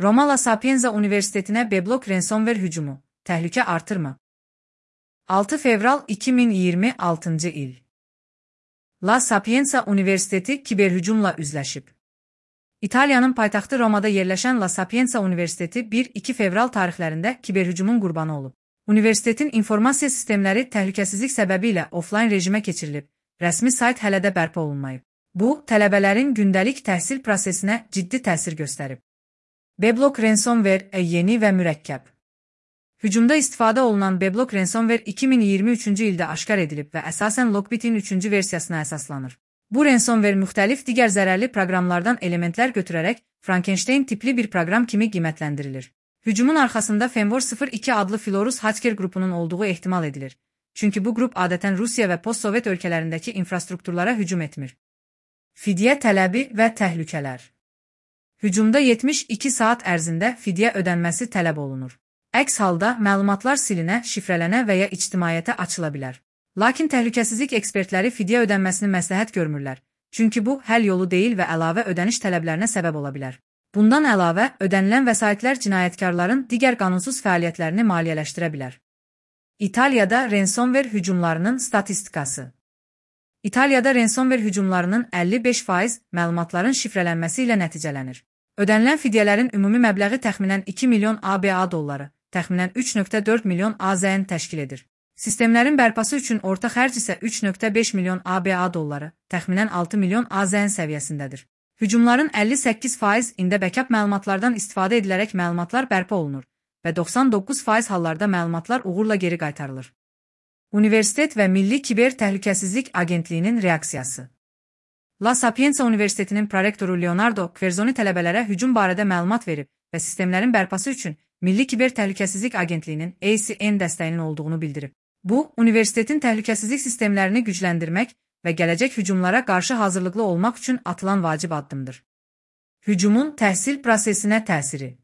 Roma La Sapienza Üniversiteti'ne Beblok ransomware hücumu. Təhlükə artır mı? 6 fevral 2026 il. La Sapienza Üniversiteti kiberhücumla üzləşib. İtaliyanın paytaxtı Romada yerləşən La Sapienza Üniversiteti 1-2 fevral tarixlərində kiberhücumun qurbanı olub. Universitetin informasiya sistemləri təhlükəsizlik səbəbilə offline rejimə keçirilib, rəsmi sayt hələ də bərpa olunmayıb. Bu, tələbələrin gündəlik təhsil prosesinə ciddi təsir göstərib. Beblok ransomware yeni və mürəkkəb. Hücumda istifadə olunan Beblok ransomware 2023-cü ildə aşkar edilib və əsasən Lockbit'in 3-cü versiyasına əsaslanır. Bu ransomware müxtəlif digər zərərli proqramlardan elementlər götürərək Frankenstein tipli bir proqram kimi qiymətləndirilir. Hücumun arxasında Femvor 02 adlı Filorus hacker qrupunun olduğu ehtimal edilir. Çünki bu qrup adətən Rusiya və postsovet ölkələrindəki infrastrukturlara hücum etmir. Fidyə tələbi və təhlükələr. Hücumda 72 saat ərzində fidyə ödənməsi tələb olunur. Əks halda məlumatlar silinə, şifrələnə və ya ictimaiyyətə açıla bilər. Lakin təhlükəsizlik ekspertləri fidyə ödənməsini məsləhət görmürlər. Çünki bu, həll yolu deyil və əlavə ödəniş tələblərinə səbəb ola bilər. Bundan əlavə, ödənilən vəsaitlər cinayətkarların digər qanunsuz fəaliyyətlərini maliyyələşdirə bilər. İtaliyada ransomware hücumlarının statistikası. İtaliyada ransomware hücumlarının 55% məlumatların şifrələnməsi ilə nəticələnir. Ödənilən fidyələrin ümumi məbləği təxminən 2 milyon ABA dolları, təxminən 3,4 milyon AZN təşkil edir. Sistemlərin bərpası üçün orta xərc isə 3,5 milyon ABA dolları, təxminən 6 milyon AZN səviyyəsindədir. Hücumların 58%-ində backup məlumatlardan istifadə edilərək məlumatlar bərpa olunur və 99% hallarda məlumatlar uğurla geri qaytarılır. Universitet və Milli Kiber Təhlükəsizlik Agentliyinin reaksiyası. La Sapienza Üniversitetinin prorektoru Leonardo Querzoni tələbələrə hücum barədə məlumat verib və sistemlərin bərpası üçün Milli Kiber Təhlükəsizlik Agentliyinin ACN dəstəyinin olduğunu bildirib. Bu, universitetin təhlükəsizlik sistemlərini gücləndirmək və gələcək hücumlara qarşı hazırlıqlı olmaq üçün atılan vacib addımdır. Hücumun təhsil prosesinə təsiri.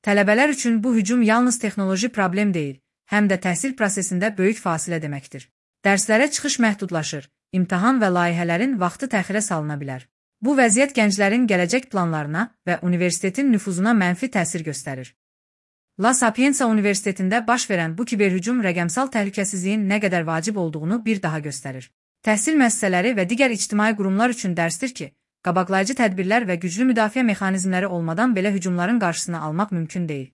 Tələbələr üçün bu hücum yalnız texnoloji problem deyil, həm də təhsil prosesində böyük fasilə deməkdir. Dərslərə çıxış məhdudlaşır, imtahan və layihələrin vaxtı təxirə salına bilər. Bu vəziyyət gənclərin gələcək planlarına və universitetin nüfuzuna mənfi təsir göstərir. La Sapienza Üniversitetində baş verən bu kiberhücum rəqəmsal təhlükəsizliyin nə qədər vacib olduğunu bir daha göstərir. Təhsil müəssisələri və digər ictimai qurumlar üçün dərsdir ki, qabaqlayıcı tədbirlər və güclü müdafiə mexanizmləri olmadan belə hücumların qarşısını almaq mümkün deyil.